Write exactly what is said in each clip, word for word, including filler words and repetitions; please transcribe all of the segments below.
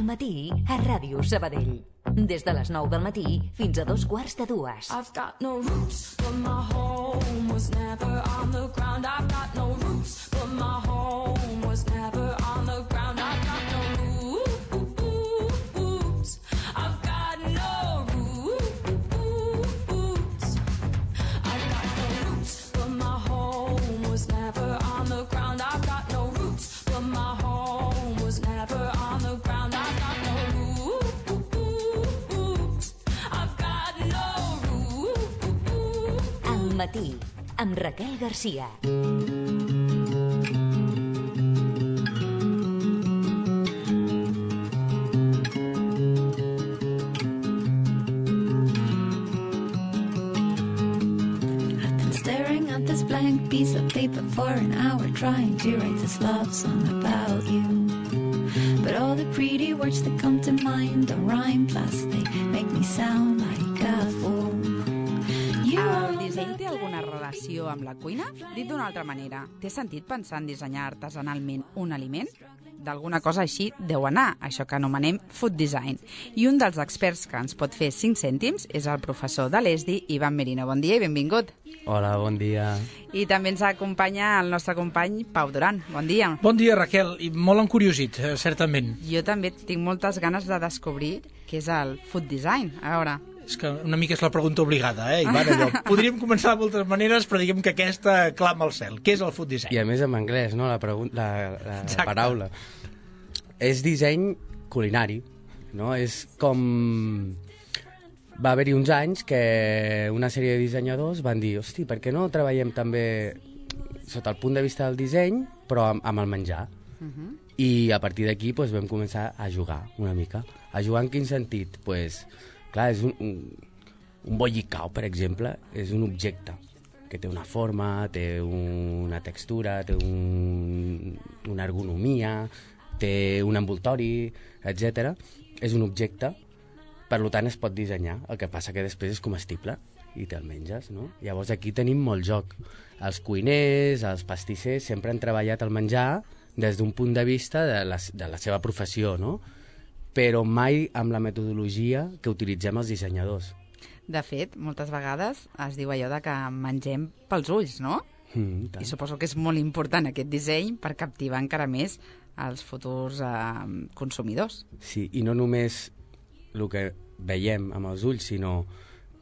matí a Ràdio Sabadell. Des de les nou del matí fins a dos quarts de dues. I've got no roots, but my home was never on the ground. I've got no roots, but my home was never on the ground. I've got no roots. I've got no roots. I've got no roots, but my home was never on the ground. I've got no roots, but my home was never on the ground. I've got no roots. Al matí, amb Raquel Garcia. Blank piece of paper for an hour trying to write this love song about you, but all the pretty words that come to mind don't rhyme, plus they make me sound like a fool. You El disseny té alguna relació amb la cuina? Dit d'una altra manera, té sentit pensar en dissenyar artesanalment un aliment? D'alguna cosa així deu anar, això que anomenem food design. I un dels experts que ens pot fer cinc cèntims és el professor de l'E S D I, Ivan Merino. Bon dia i benvingut. Hola, bon dia. I també ens acompanya el nostre company Pau Duran. Bon dia. Bon dia, Raquel. I molt encuriosit, eh, certament. Jo també tinc moltes ganes de descobrir què és el food design. A veure... És que una mica és la pregunta obligada, eh, Ivan? Allò. Podríem començar de moltes maneres, però diguem que aquesta clama al cel. Què és el food design? I a més en anglès, no?, la, la, la, la paraula. És disseny culinari, no? És com... Va haver-hi uns anys que una sèrie de dissenyadors van dir, hosti, per què no treballem també sota el punt de vista del disseny, però amb, amb el menjar? Uh-huh. I a partir d'aquí pues, vam començar a jugar una mica. A jugar en quin sentit? Pues, clar, és un, un, un bollicao, per exemple, és un objecte que té una forma, té una textura, té un, una ergonomia, té un envoltori, etcètera. És un objecte, per tant es pot dissenyar. El que passa que després és comestible i te'l menges, no? Llavors aquí tenim molt joc. Els cuiners, els pastissers, sempre han treballat el menjar des d'un punt de vista de la, de la seva professió, no? Però mai amb la metodologia que utilitzem els dissenyadors. De fet, moltes vegades es diu allò de que mengem pels ulls, no? Mm, I suposo que és molt important aquest disseny per captivar encara més els futurs eh, consumidors. Sí, i no només el que veiem amb els ulls, sinó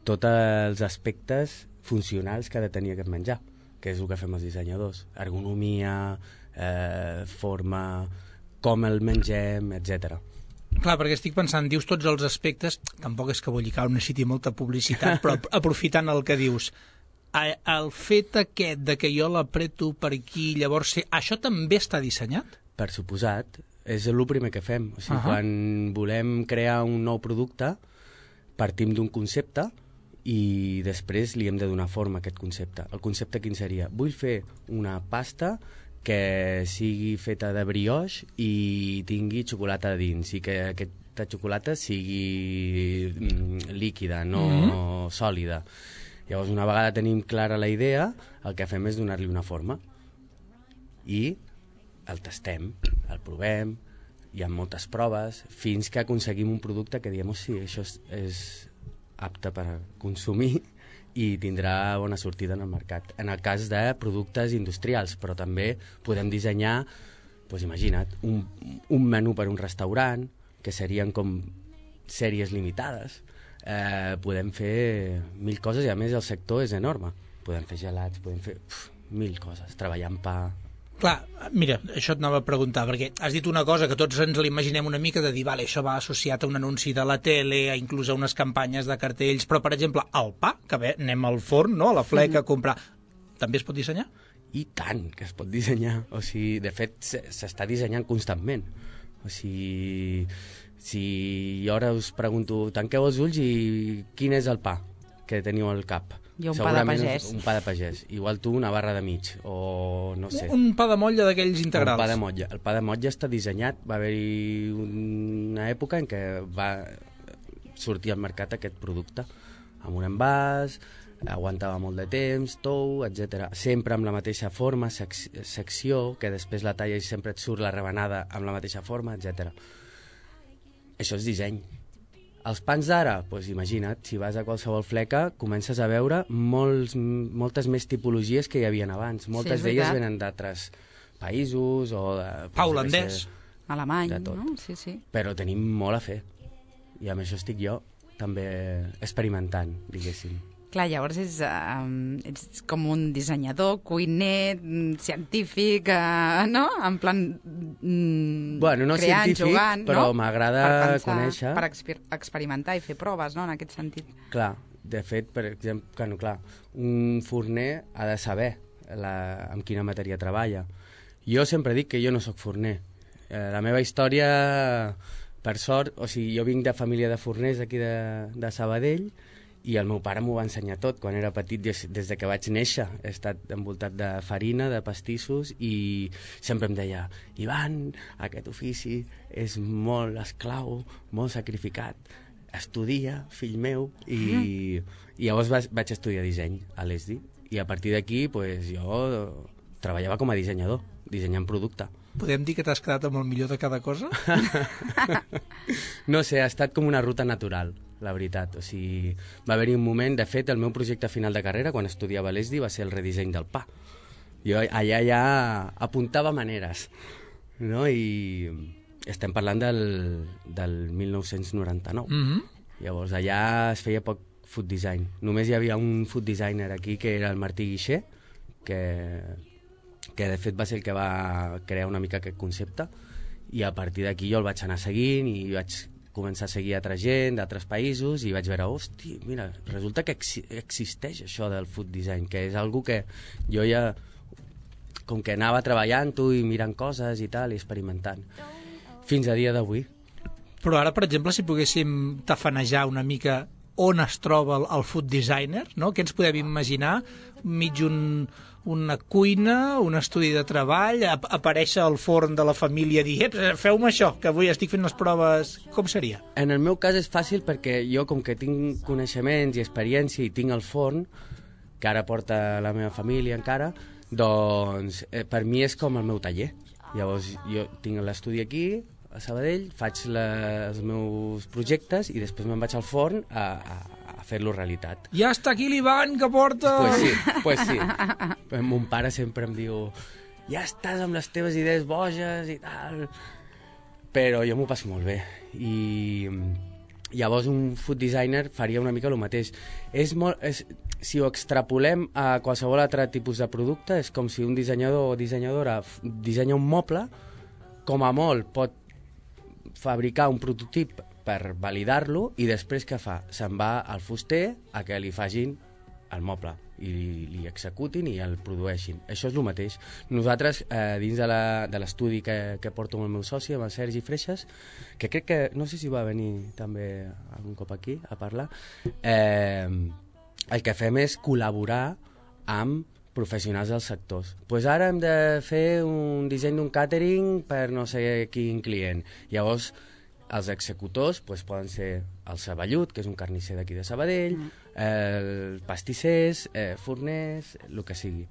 tots els aspectes funcionals que ha de tenir aquest menjar, que és el que fem els dissenyadors. Ergonomia, eh, forma, com el mengem, etcètera. Clar, perquè estic pensant, dius tots els aspectes, tampoc és que Bollicao necessiti molta publicitat, però aprofitant el que dius, el fet aquest de que jo l'apreto per aquí, llavors sé, això també està dissenyat? Per suposat, és el primer que fem. O sigui, uh-huh. Quan volem crear un nou producte, partim d'un concepte i després li hem de donar forma a aquest concepte. El concepte quin seria? Vull fer una pasta que sigui feta de brioix i tingui xocolata a dins, i que aquesta xocolata sigui mm, líquida, no mm-hmm. sòlida. Llavors, una vegada tenim clara la idea, el que fem és donar-li una forma. I el tastem, el provem, hi ha moltes proves, fins que aconseguim un producte que diem, oh, sí, això és, és apte per consumir i tindrà bona sortida en el mercat. En el cas de productes industrials, però també podem dissenyar, doncs imagina't, un, un menú per un restaurant, que serien com sèries limitades. Eh, podem fer mil coses i a més el sector és enorme. Podem fer gelats, podem fer uf, mil coses, treballar amb pa... Clar, mira, això et anava a preguntar, perquè has dit una cosa que tots ens l'imaginem una mica de dir, vale, això va associat a un anunci de la tele, a inclús a unes campanyes de cartells, però, per exemple, el pa, que bé, anem al forn, no?, a la fleca a comprar, també es pot dissenyar? I tant que es pot dissenyar. O sigui, de fet, s'està dissenyant constantment. O sigui, si jo ara us pregunto, tanqueu els ulls i quin és el pa que teniu al cap? I un pa de pagès. Un pa de pagès. Igual tu una barra de mig, o no sé. Un pa de motlla d'aquells integrals. Un pa de motlla. El pa de motlla està dissenyat, va haver-hi una època en què va sortir al mercat aquest producte, amb un envàs, aguantava molt de temps, tou, etcètera. Sempre amb la mateixa forma, sec secció, que després la talla i sempre et surt la rebenada amb la mateixa forma, etcètera. això és disseny. Els pans d'ara, doncs imagina't, si vas a qualsevol fleca, comences a veure molts, moltes més tipologies que hi havia abans. Moltes Sí, és d'elles veritat. venen d'altres països o de... Pa doncs, holandès. jo què sé, Alemany, de tot. no? Sí, sí. Però tenim molt a fer. I amb això estic jo també experimentant, diguéssim. Clar, llavors és, um, ets com un dissenyador, cuiner, mm, científic, uh, no? En plan mm, Bueno, no creant, científic, jugant, però no? m'agrada Per pensar, conèixer. Per exper experimentar i fer proves, no?, en aquest sentit. Clar, de fet, per exemple, que no, clar, un forner ha de saber la, amb quina matèria treballa. Jo sempre dic que jo no sóc forner. Eh, la meva història, per sort, o sigui, jo vinc de família de forners aquí de, de Sabadell, i el meu pare m'ho va ensenyar tot. Quan era petit, des, des de que vaig néixer, he estat envoltat de farina, de pastissos, i sempre em deia, Ivan, aquest ofici és molt esclau, molt sacrificat, estudia, fill meu, i, mm. i llavors vaig, vaig estudiar disseny a l'E S D I, i a partir d'aquí pues, jo treballava com a dissenyador, dissenyant producte. Podem dir que t'has quedat amb el millor de cada cosa? No sé, ha estat com una ruta natural, la veritat. O sigui, va haver-hi un moment, de fet, el meu projecte final de carrera, quan estudiava a l'E S D I, va ser el redisseny del pa. Jo allà ja apuntava maneres, no? I estem parlant del, del mil nou-cents noranta-nou. Mm-hmm. Llavors, allà es feia poc food design. Només hi havia un food designer aquí, que era el Martí Guixer, que... que de fet va ser el que va crear una mica aquest concepte, i a partir d'aquí jo el vaig anar seguint i vaig començar a seguir altra gent d'altres països i vaig veure, hosti, mira, resulta que ex existeix això del food design, que és algo que jo ja com que anava treballant-ho i mirant coses i tal, i experimentant fins a dia d'avui. Però ara, per exemple, si poguéssim tafanejar una mica on es troba el, el food designer, no? Què ens podem imaginar? Mig un, una cuina, un estudi de treball, ap aparèixer al forn de la família i dir, feu-me això, que avui estic fent les proves. Com seria? En el meu cas és fàcil perquè jo, com que tinc coneixements i experiència i tinc el forn, que ara porta la meva família encara, doncs eh, per mi és com el meu taller. Llavors jo tinc l'estudi aquí, a Sabadell, faig la, els meus projectes i després me'n vaig al forn a, a, a fer-lo realitat. Ja està aquí l'Ivan que porta... Pues sí, pues sí. Mon pare sempre em diu, ja estàs amb les teves idees boges i tal, però jo m'ho passo molt bé. I llavors un food designer faria una mica el mateix. És molt, és, si ho extrapolem a qualsevol altre tipus de producte, és com si un dissenyador o dissenyadora dissenya un moble, com a molt pot fabricar un prototip per validar-lo i després què fa? Se'n va al fuster a que li facin el moble i li, li executin i el produeixin. Això és el mateix. Nosaltres, eh, dins de l'estudi que, que porto amb el meu soci, amb el Sergi Freixas, que crec que, no sé si va venir també algun cop aquí a parlar, eh, el que fem és col·laborar amb professionals dels sectors. Pues ara hem de fer un disseny d'un càtering per no sé quin client. Llavors, els executors pues, poden ser el Ceballut, que és un carnisser d'aquí de Sabadell, mm. el pastissers, eh, forners, el que sigui.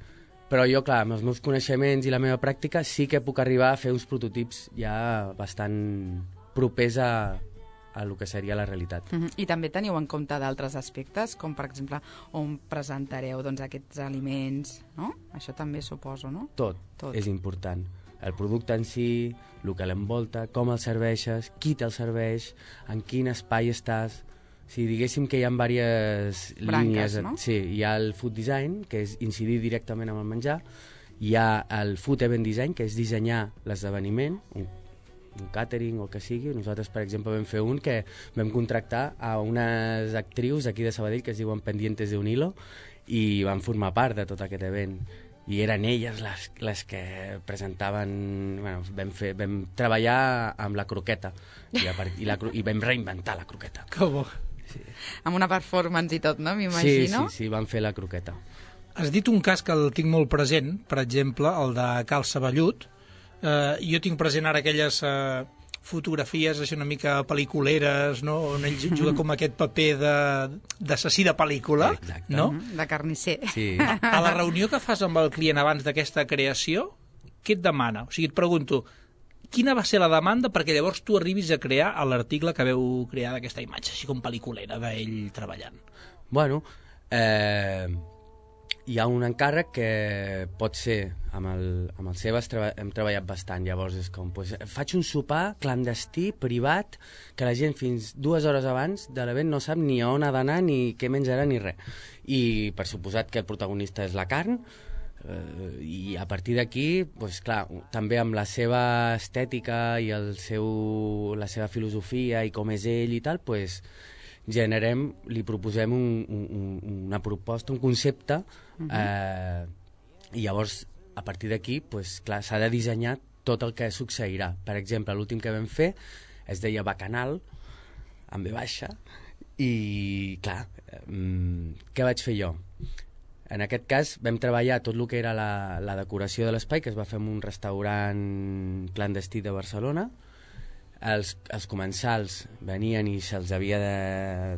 Però jo, clar, amb els meus coneixements i la meva pràctica sí que puc arribar a fer uns prototips ja bastant propers a, a el que seria la realitat. Uh-huh. I també teniu en compte d'altres aspectes, com per exemple on presentareu doncs, aquests aliments, no? Això també suposo, no? Tot, Tot és important. El producte en si, el que l'envolta, com el serveixes, qui te'l serveix, en quin espai estàs. Si diguéssim que hi ha diverses branques, línies, no? Sí, hi ha el food design, que és incidir directament amb el menjar, hi ha el food event design, que és dissenyar l'esdeveniment, un, un catering o el que sigui. Nosaltres, per exemple, vam fer un que vam contractar a unes actrius aquí de Sabadell que es diuen Pendientes de un Hilo i van formar part de tot aquest event. I eren elles les, les que presentaven... Bueno, vam, fer, vam treballar amb la croqueta i, a part, i, la, i vam reinventar la croqueta. Que bo. Sí. Amb una performance i tot, no? M'imagino. Sí, sí, sí, vam fer la croqueta. Has dit un cas que el tinc molt present, per exemple, el de Cal Ceballut. Eh, jo tinc present ara aquelles eh, fotografies així una mica pel·liculeres, no? On ell juga com aquest paper d'assassí de, de pel·lícula. Exacte. No? De carnisser. Sí. A, a la reunió que fas amb el client abans d'aquesta creació, què et demana? O sigui, et pregunto, quina va ser la demanda perquè llavors tu arribis a crear l'article que veu crear d'aquesta imatge, així com pel·liculera d'ell treballant? Bueno, eh, hi ha un encàrrec que pot ser, amb el, amb el Sebas treba, hem treballat bastant, llavors és com, pues, faig un sopar clandestí, privat, que la gent fins dues hores abans de l'event no sap ni on ha d'anar, ni què menjarà, ni res. I per suposat que el protagonista és la carn, eh, i a partir d'aquí, pues, clar, també amb la seva estètica i el seu, la seva filosofia i com és ell i tal, pues, generem, li proposem un, un, una proposta, un concepte, uh-huh. eh, i llavors a partir d'aquí, pues, clar, s'ha de dissenyar tot el que succeirà. Per exemple, l'últim que vam fer es deia Bacanal, amb ve baixa, i clar, eh, què vaig fer jo? En aquest cas vam treballar tot el que era la, la decoració de l'espai, que es va fer en un restaurant clandestí de Barcelona. Els, els comensals venien i se'ls havia de,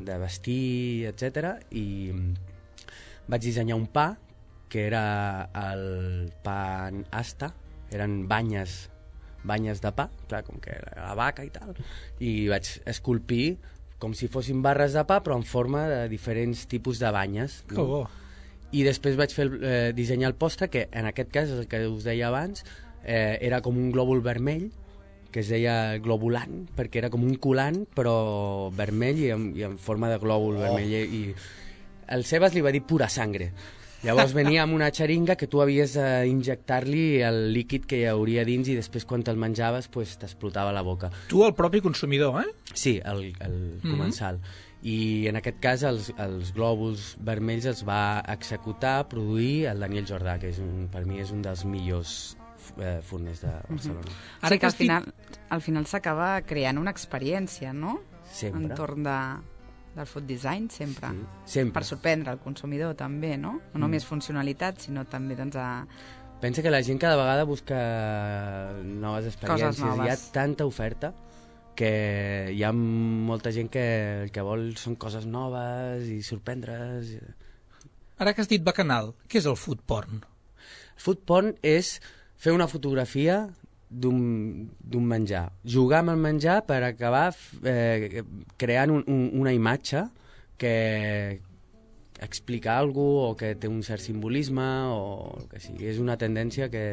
de vestir, etcètera. I vaig dissenyar un pa, que era el pa asta, eren banyes, banyes de pa, clar, com que era la vaca i tal, i vaig esculpir com si fossin barres de pa, però en forma de diferents tipus de banyes. Que bo. I després vaig fer eh, dissenyar el postre, que en aquest cas, el que us deia abans, eh, era com un glòbul vermell, que es deia globulant, perquè era com un colant, però vermell i en, i en forma de glòbul oh. vermell. I el Sebas li va dir pura sangre. Llavors venia amb una xeringa que tu havies d'injectar-li el líquid que hi hauria dins i després quan te'l menjaves pues, t'explotava la boca. Tu, el propi consumidor, eh? Sí, el, el mm-hmm. comensal. I en aquest cas els, els glòbuls vermells els va executar, produir el Daniel Jordà, que és un, per mi és un dels millors eh, forners de Barcelona. Mm-hmm. Ara sí que al final, al final s'acaba creant una experiència, no? Sempre. Entorn de, del food design, sempre. Sí, sempre. Per sorprendre el consumidor, també, no? No només mm. funcionalitat, sinó també, doncs, a... Pensa que la gent cada vegada busca noves experiències. Noves. Hi ha tanta oferta que hi ha molta gent que el que vol són coses noves i sorprendre's. Ara que has dit bacanal, què és el food porn? Food porn és fer una fotografia d'un menjar, jugar amb el menjar per acabar eh, creant un, un, una imatge que explica alguna cosa o que té un cert simbolisme o el que sigui. És una tendència que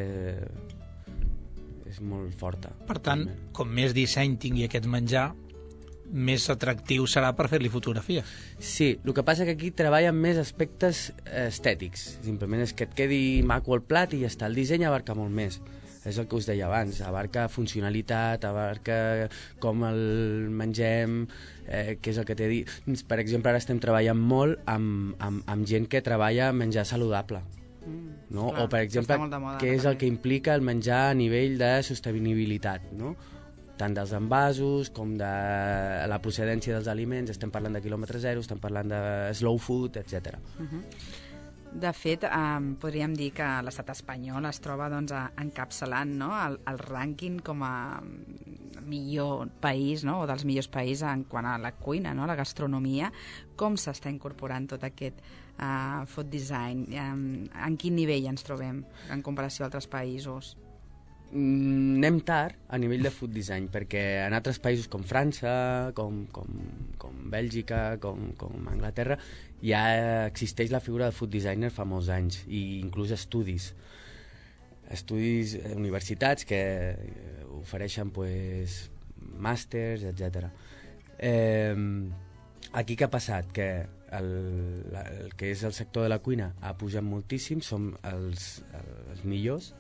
és molt forta. Per tant, com més disseny tingui aquest menjar, més atractiu serà per fer-li fotografia. Sí, el que passa que aquí treballa amb més aspectes estètics. Simplement és que et quedi maco el plat i ja està. El disseny abarca molt més. És el que us deia abans. Abarca funcionalitat, abarca com el mengem, eh, què és el que té a dir. Per exemple, ara estem treballant molt amb, amb, amb gent que treballa menjar saludable. No? Clar, o per exemple què és el que implica el menjar a nivell de sostenibilitat, no? Tant dels envasos com de la procedència dels aliments. Estem parlant de quilòmetre zero, estem parlant de slow food, etcètera. Uh-huh. De fet, eh, podríem dir que l'estat espanyol es troba doncs, encapçalant, no? el, el rànquing com a millor país, no? O dels millors països en quant a la cuina, no? La gastronomia. Com s'està incorporant tot aquest uh, food design? Um, en quin nivell ens trobem en comparació a altres països? Mm, anem tard a nivell de food design, perquè en altres països com França, com, com, com Bèlgica, com, com Anglaterra, ja existeix la figura de food designer fa molts anys, i inclús estudis. Estudis, eh, universitats que ofereixen pues, màsters, etcètera. Eh, aquí què ha passat? Que el, el que és el sector de la cuina ha pujat moltíssim, som els, els millors,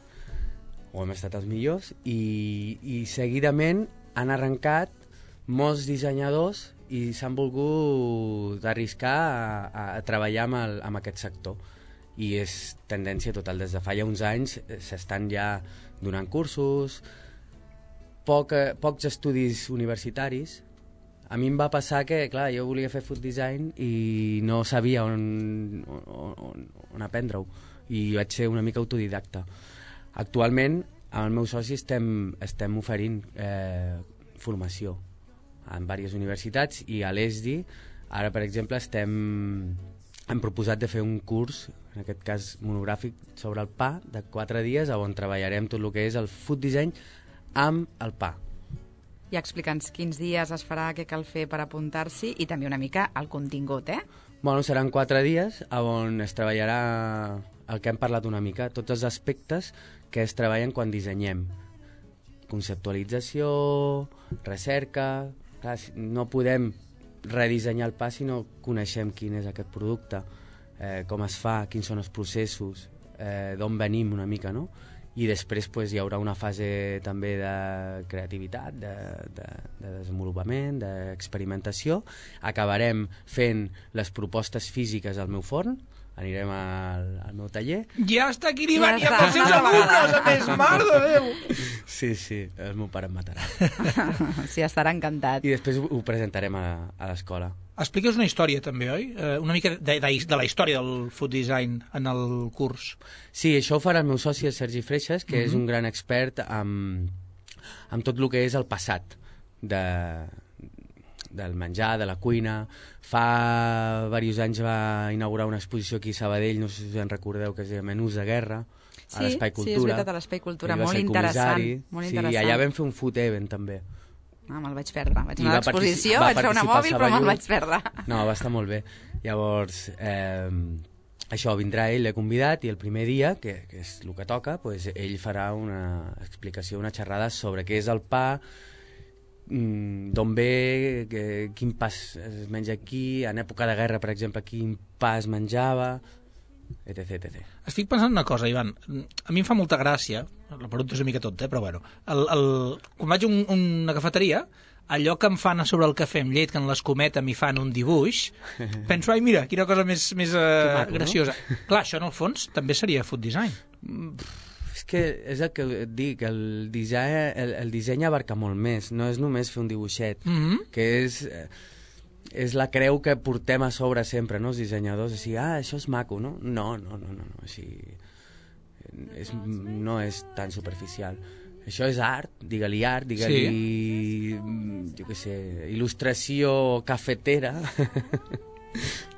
o hem estat els millors, i, i seguidament han arrencat molts dissenyadors i s'han volgut arriscar a, a treballar amb, el, amb aquest sector. I és tendència total. Des de fa ja uns anys s'estan ja donant cursos, poc, pocs estudis universitaris. A mi em va passar que, clar, jo volia fer food design i no sabia on, on, on aprendre-ho, i vaig ser una mica autodidacta. Actualment, amb el meu soci estem, estem oferint eh, formació en diverses universitats, i a l'E S D I, ara, per exemple, estem, hem proposat de fer un curs, en aquest cas monogràfic, sobre el pa, de quatre dies, on treballarem tot el que és el food design amb el pa. I explica'ns quins dies es farà, què cal fer per apuntar-s'hi i també una mica el contingut, eh? Bueno, seran quatre dies on es treballarà el que hem parlat una mica, tots els aspectes que es treballen quan dissenyem. Conceptualització, recerca... Clar, no podem redissenyar el pa si no coneixem quin és aquest producte, eh, com es fa, quins són els processos, eh, d'on venim una mica, no? I després pues, hi haurà una fase també de creativitat, de, de, de desenvolupament, d'experimentació. Acabarem fent les propostes físiques al meu forn, anirem al, al meu taller. Ja està aquí arribant, Ja ja, està, pels seus una alumnes, vegada. a més, mare de Déu! Sí, sí, el meu pare em matarà. Sí, estarà encantat. I després ho, ho presentarem a, a l'escola. Expliques una història, també, oi? Eh, una mica de, de, de la història del food design en el curs. Sí, això ho farà el meu soci, el Sergi Freixas, que uh-huh. és un gran expert amb, amb tot el que és el passat de, del menjar, de la cuina. Fa diversos anys va inaugurar una exposició aquí a Sabadell, no sé si us en recordeu, que es deia Menús de Guerra, Sí, a l'Espai Cultura. sí, és veritat, a l'Espai Cultura, Ell va molt ser el interessant. comissari. Molt sí, interessant. allà vam fer un food event, també. Ah, me'l vaig perdre. Vaig I anar a va l'exposició, partici- va vaig fer una participar mòbil, però me'l Saballut. vaig perdre. No, va estar molt bé. Llavors, eh, això, vindrà ell, l'he convidat, i el primer dia, que, que és el que toca, pues, ell farà una explicació, una xerrada sobre què és el pa, mm, d'on ve, que, quin pa es es menja aquí, en època de guerra, per exemple, quin pa es menjava, etc, etcètera. Estic pensant una cosa, Ivan. A mi em fa molta gràcia, la pregunta és una mica tonta, eh, però bueno, el, el, quan vaig a un, una cafeteria, allò que em fan a sobre el cafè amb llet, que en l'escometa m'hi fan un dibuix, penso, ai, mira, quina cosa més, més uh, maco, graciosa. No? Clar, això en el fons també seria food design. És que és el que et dic, el disseny, el, el disseny abarca molt més, no és només fer un dibuixet, Mm-hmm. que és, és la creu que portem a sobre sempre, no?, els dissenyadors, així, ah, això és maco, no? No, no, no, no, no així, és, no és tan superficial. Això és art, digue-li art, digue-li, sí. jo què sé, il·lustració cafetera,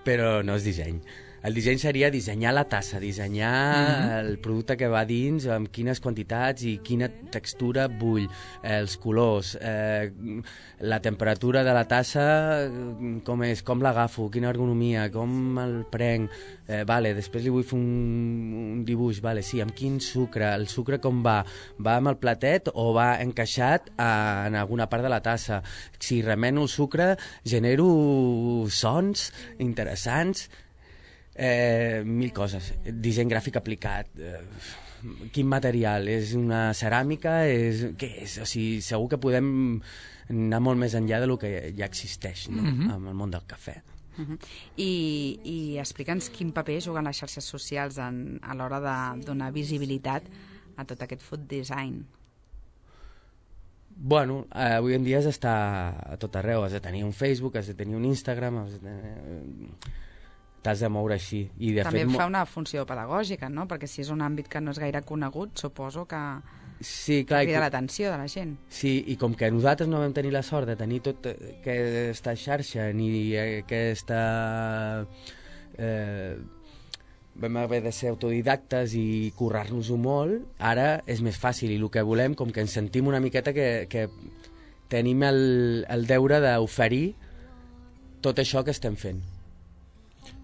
però no és disseny. El disseny seria dissenyar la tassa, dissenyar mm-hmm. el producte que va dins, amb quines quantitats i quina textura vull, eh, els colors, eh, la temperatura de la tassa, com és, com l'agafo, quina ergonomia, com el prenc, eh, vale, després li vull fer un, un dibuix, vale, sí, amb quin sucre, el sucre com va, va amb el platet o va encaixat a, en alguna part de la tassa, si remeno el sucre genero sons interessants, Eh, mil coses, disseny gràfic aplicat, eh, quin material, és una ceràmica, és, què és? O sigui, segur que podem anar molt més enllà del que ja existeix, no? Mm-hmm. En el món del cafè. Uh-huh. I, i explica'ns quin paper juguen les xarxes socials en, a l'hora de donar visibilitat a tot aquest food design. Bueno, eh, avui en dia has d'estar a tot arreu, has de tenir un Facebook, has de tenir un Instagram, has de tenir... t'has de moure així. I de També fet, fa una funció pedagògica, no? Perquè si és un àmbit que no és gaire conegut, suposo que sí, clar, crida i, l'atenció de la gent. sí, i com que nosaltres no vam tenir la sort de tenir tot aquesta xarxa ni aquesta... Eh, vam haver de ser autodidactes i currar-nos-ho molt, ara és més fàcil i el que volem, com que ens sentim una miqueta que, que tenim el, el deure d'oferir tot això que estem fent.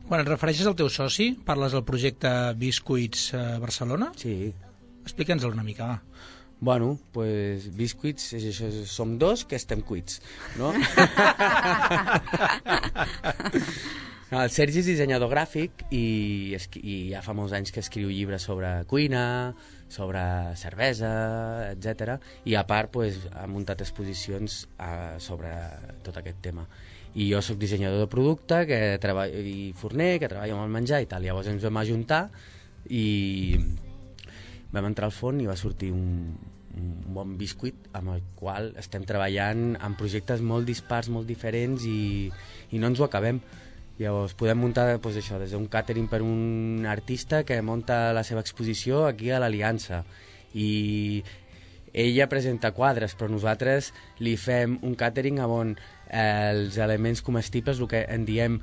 Quan et refereixes al teu soci, parles del projecte Biscuits eh, Barcelona? Sí. Explica'ns-el una mica, va. Bueno, pues Biscuits, és això, som dos que estem cuits, no? El Sergi és dissenyador gràfic i, i ja fa molts anys que escriu llibres sobre cuina, sobre cervesa, etcètera. I a part pues, ha muntat exposicions uh, sobre tot aquest tema. I jo sóc dissenyador de producte que treball, i forner, que treballa amb el menjar i tal. Llavors ens vam ajuntar i vam entrar al forn i va sortir un, un bon biscuit amb el qual estem treballant en projectes molt dispars, molt diferents i, i no ens ho acabem. Llavors podem muntar pues, això, des d'un catering per un artista que munta la seva exposició aquí a l'Aliança i ella presenta quadres, però nosaltres li fem un catering on eh, els elements comestibles, el que en diem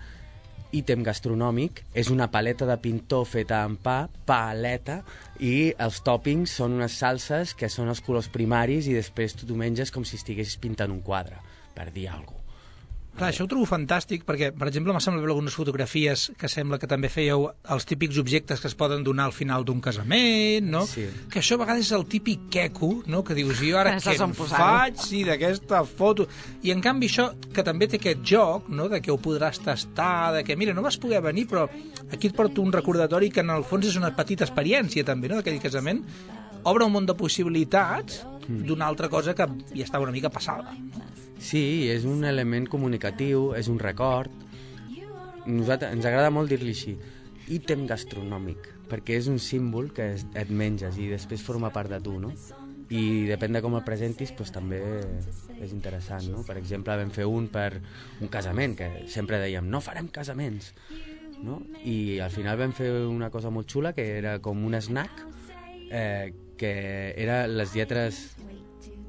ítem gastronòmic és una paleta de pintor feta amb pa, paleta, i els tòpings són unes salses que són els colors primaris i després tu t'ho menges com si estiguessis pintant un quadre, per dir alguna cosa. Clar, això ho trobo fantàstic perquè, per exemple, m'ha semblat veure algunes fotografies que sembla que també fèieu els típics objectes que es poden donar al final d'un casament, no? Sí. Que això a vegades és el típic queco, no? Que dius, jo ara No què saps on en posar-ho. faig, sí, d'aquesta foto... I en canvi això, que també té aquest joc, no? De que ho podràs tastar, de que, mira, no vas poder venir, però aquí et porto un recordatori que en el fons és una petita experiència també, no? D'aquell casament. Obre un munt de possibilitats d'una altra cosa que ja està una mica passada. Sí, és un element comunicatiu, és un record. Nosaltres, ens agrada molt dir-li així, ítem gastronòmic, perquè és un símbol que es, et menges i després forma part de tu, no? I depèn de com el presentis, doncs també és interessant, no? Per exemple, vam fer un per un casament, que sempre dèiem, no farem casaments, no? I al final vam fer una cosa molt xula, que era com un snack, eh, que era les lletres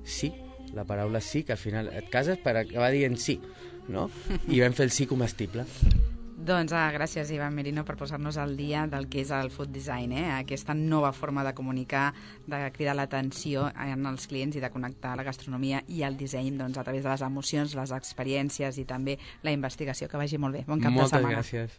sí, la paraula sí, que al final et cases per acabar dient sí, no? I vam fer el sí comestible. Doncs ah, gràcies, Ivan Merino, per posar-nos al dia del que és el food design, eh? Aquesta nova forma de comunicar, de cridar l'atenció en els clients i de connectar la gastronomia i el disseny doncs, a través de les emocions, les experiències i també la investigació. Que vagi molt bé. Bon cap Moltes de setmana. gràcies.